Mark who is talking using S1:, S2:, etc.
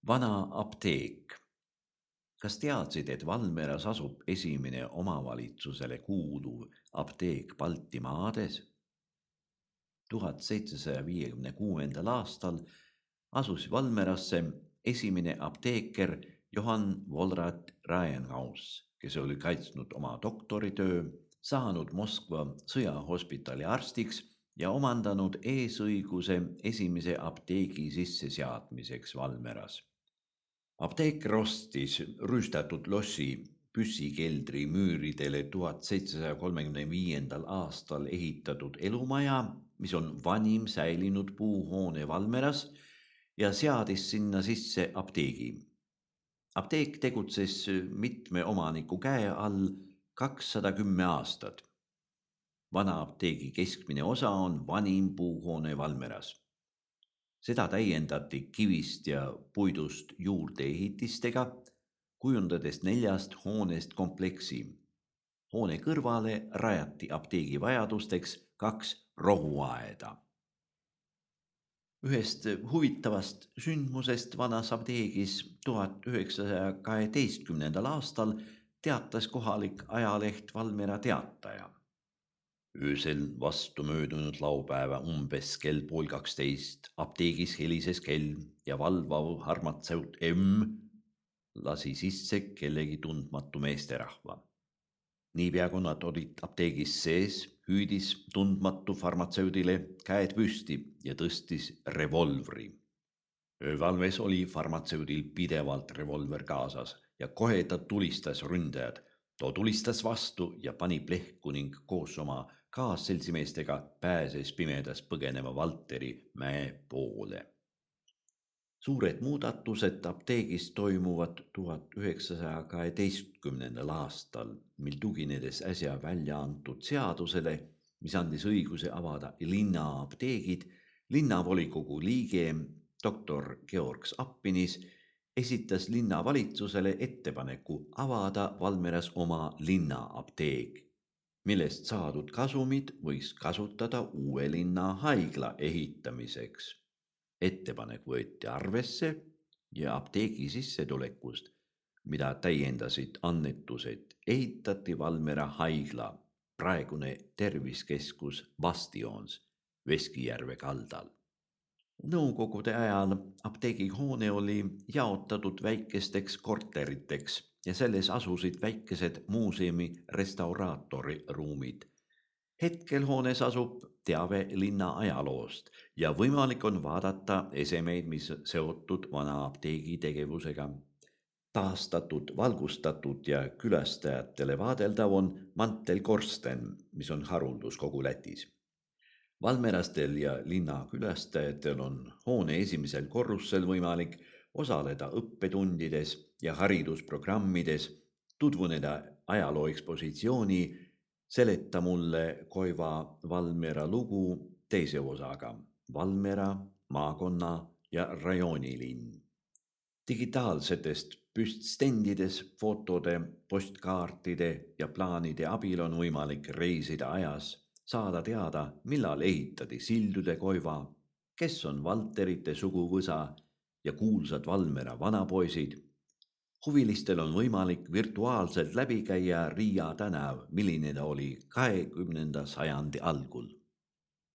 S1: Vana apteek. Kas teadsid, et Valmeras asub esimene omavalitsusele kuuluv apteek Baltimaades? 1756. aastal asus Valmerasse esimene apteeker Johann Volrat Raenhaus, kes oli kaitsnud oma doktoritöö, saanud Moskva sõjahospitali arstiks ja omandanud eesõiguse esimese apteegi sisseseadmiseks Valmeras. Apteeker ostis rüüstatud lossi püssikeldri müüridele 1735. aastal ehitatud elumaja, mis on vanim säilinud puuhoone Valmeras, ja seadis sinna sisse apteegi. Apteek tegutses mitme omaniku käe all 210 aastat. Vana apteegi keskmine osa on vanim puuhoone Valmeras. Seda täiendati kivist ja puidust juurdeehitistega, kujundades 4 hoonest kompleksi. Hoone kõrvale rajati apteegi vajadusteks 2 rohuaeda. Ühest huvitavast sündmusest vanas apteegis 1912. aastal teatas kohalik ajaleht Valmiera Teataja. Öösel vastu möödunud laupäeva umbes kell 11:30 apteegis helises kell ja valvav farmatseut M lasi sisse kellegi tundmatu meesterahva. Niipea kui nad olid apteegis sees, hüüdis tundmatu farmatseudile käed püsti ja tõstis revolvri. Öövalves oli farmatseudil pidevalt revolver kaasas ja kohe ta tulistas ründajad. Ta tulistas vastu ja pani plehku ning koos oma kaasseltsimeestega pääses pimedas põgeneva Valteri mäe poole. Suured muudatused apteegis toimuvad 1912. aastal, mil tuginedes äsja välja antud seadusele, mis andis õiguse avada linnaapteegid, linnavolikogu liige doktor Georg Appinis esitas linnavalitsusele ettepaneku avada Valmeras oma linnaapteek, millest saadud kasumid võiks kasutada uue linna haigla ehitamiseks. Ettepanek võeti arvesse ja apteegi sissetulekust, mida täiendasid annetused, ehitati Valmera haigla, praegune terviskeskus Bastions Veskijärve kaldal. Nõukogude ajal apteegihoone oli jaotatud väikesteks korteriteks ja selles asusid väikesed muuseumi restauraatori ruumid. Hetkel hoones asub teave linna ajaloost ja võimalik on vaadata esemeid, mis seotud vana apteegi tegevusega. Taastatud, valgustatud ja külastajatele vaadeldav on mantelkorsten, mis on haruldus kogu Lätis. Valmerastel ja linna külastajatel on hoone esimesel korrusel võimalik osaleda õppetundides ja haridusprogrammides, tutvuneda ajaloo ekspositsiooni Seleta mulle Koiva Valmiera lugu teise osaga Valmiera, maakonna ja rajoonilinn. Digitaalsetest püststendides, fotode, postkaartide ja plaanide abil on võimalik reisida ajas, saada teada, millal ehitati Sildude Koiva, kes on Valterite suguvõsa ja kuulsad Valmera vanapoisid. Huvilistel on võimalik virtuaalselt läbi käia Riia tänav, milline ta oli 20. sajandi algul.